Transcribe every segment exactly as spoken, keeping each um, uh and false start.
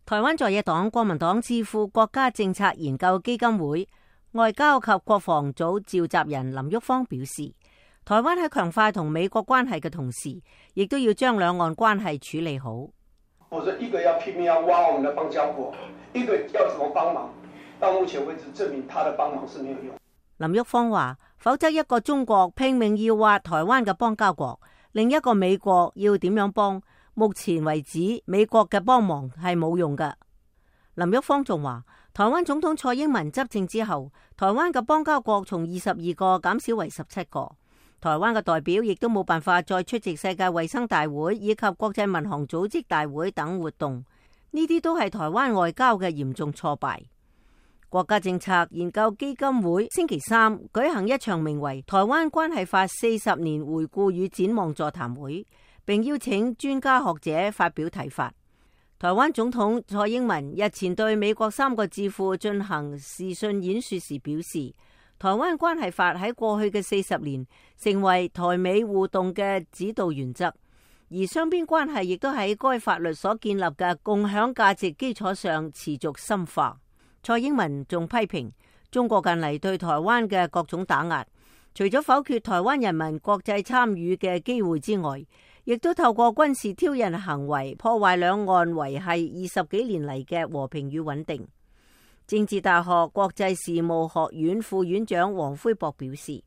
台灣在野黨國民黨智庫國家政策研究基金會外交及國防組召集人林旭芳表示，台灣喺強化同美國關係嘅同時，亦都要將兩岸關係處理好。否則一個要拼命要挖我們的邦交國，一個要怎麼幫忙？到目前為止證明他的幫忙是沒有用。林旭芳話，否則一個中國拼命要挖台灣嘅邦交國，另一個美國要點樣幫？目前為止，美國嘅幫忙係冇用嘅。林旭芳仲話，台灣總統蔡英文執政之後，台灣嘅邦交國從二十二個減少為十七個，台灣嘅代表亦都冇辦法再出席世界衛生大會以及國際民航組織大會等活動，呢啲都係台灣外交嘅嚴重挫敗。國家政策研究基金會星期三舉行一場名為《台灣關係法四十年回顧與展望》座談會，並邀請專家學者發表睇法。台灣總統蔡英文日前對美國三個智庫進行視訊演說時表示，台灣關係法喺過去嘅四十年成為台美互動嘅指導原則，而雙邊關係亦都喺該法律所建立嘅共享價值基礎上持續深化。蔡英文仲批評中國近嚟對台灣嘅各種打壓，除咗否決台灣人民國際參與嘅機會之外，亦都透過軍事挑釁行為破壞兩岸維繫二十幾年嚟嘅和平與穩定。政治大學國際事務學院副院長黃輝博表示，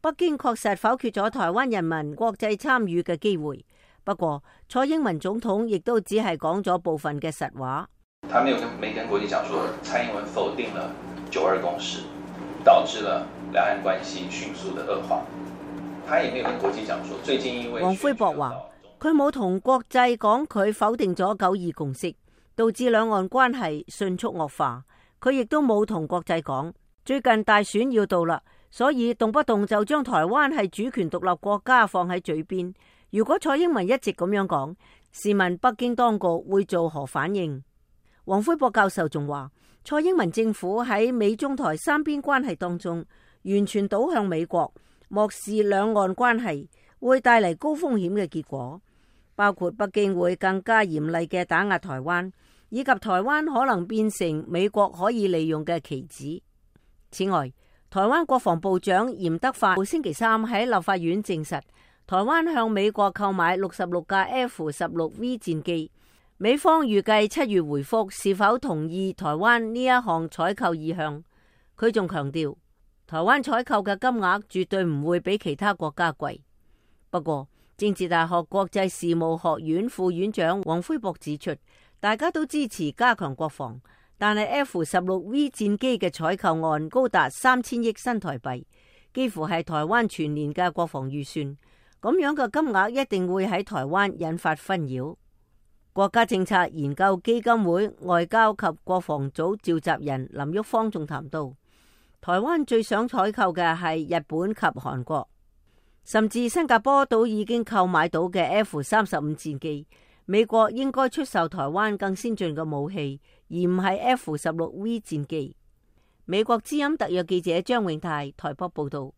北京確實否決咗台灣人民國際參與嘅機會，不過蔡英文總統亦都只係講咗部分嘅實話。他沒有跟沒跟國際講說，蔡英文否定了九二共識，導致了兩岸關係迅速的惡化。他也沒有跟國際講說，最近因為黃輝博話，佢冇同國際講佢否定咗九二共識，導致兩岸關係迅速惡化。佢亦都冇同國際講，最近大選要到啦，所以動不動就將台灣係主權獨立國家放喺嘴邊。如果蔡英文一直咁樣講，試問北京當局會做何反應？黃輝博教授仲話，蔡英文政府喺美中台三邊關係當中完全倒向美國，漠視兩岸關係，會帶嚟高風險嘅結果，包括北京會更加嚴厲嘅打壓台灣，以及台灣可能變成美國可以利用嘅棋子。此外，台灣國防部長嚴德發星期三喺立法院證實，台灣向美國購買六十六架 F 十六 V 戰機。美方預計七月回覆是否同意台灣呢一項採購意向。佢仲強調，台灣採購嘅金額絕對唔會比其他國家貴。不過，政治大學國際事務學院副院長黃輝博指出，大家都支持加強國防，但係 F 十六 V 戰機嘅採購案高達三千億新台幣，幾乎係台灣全年嘅國防預算。咁樣嘅金額一定會喺台灣引發紛擾。國家政策研究基金會外交及國防組召集人林旭芳仲談到，台灣最想採購嘅係日本及韓國，甚至新加坡都已經購買到嘅 F 三十五戰機。美國應該出售台灣更先進嘅武器，而唔係 F 十六 V 戰機。美國之音特約記者張永泰台北報道。